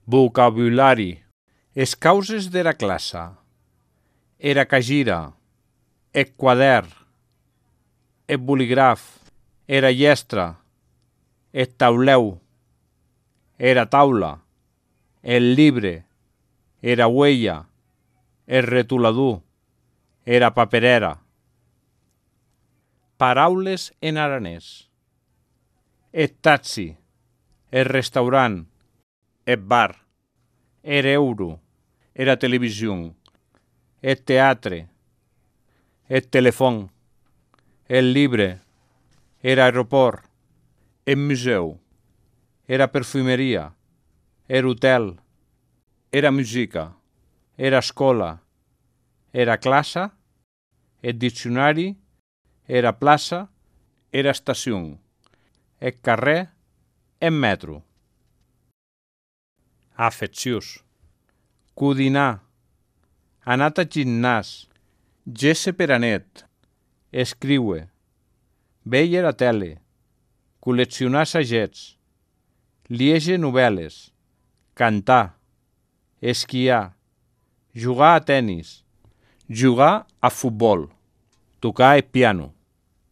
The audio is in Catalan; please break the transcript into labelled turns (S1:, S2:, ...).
S1: Vocabulari. Es causes dera classa. Era cagira. Eth quadern. Eth bolígraf. Era llestra. Eth tauleu. Era taula. El libre. Era huella. El retulador. Era paperera. Paraules en aranès. Eth taxi. El restaurant. Eth bar. Er euro. Era television. Eth teatre. Eth telefon. El libre. Era aeroport. Eth museu. Era perfumeria. Er hotel. Era musica. Era escola. Era classa. Eth diccionari. Era plaça. Era estacion. Eth carrer. Eth metro. Afecciós. Codinar. Anat a gimnàs. Gesse per anet. Escriure. Veire la tele. Col·leccionar sagets. Liege novel·les. Cantar. Esquiar. Jugar a tenis. Jugar a futbol. Tocar el piano.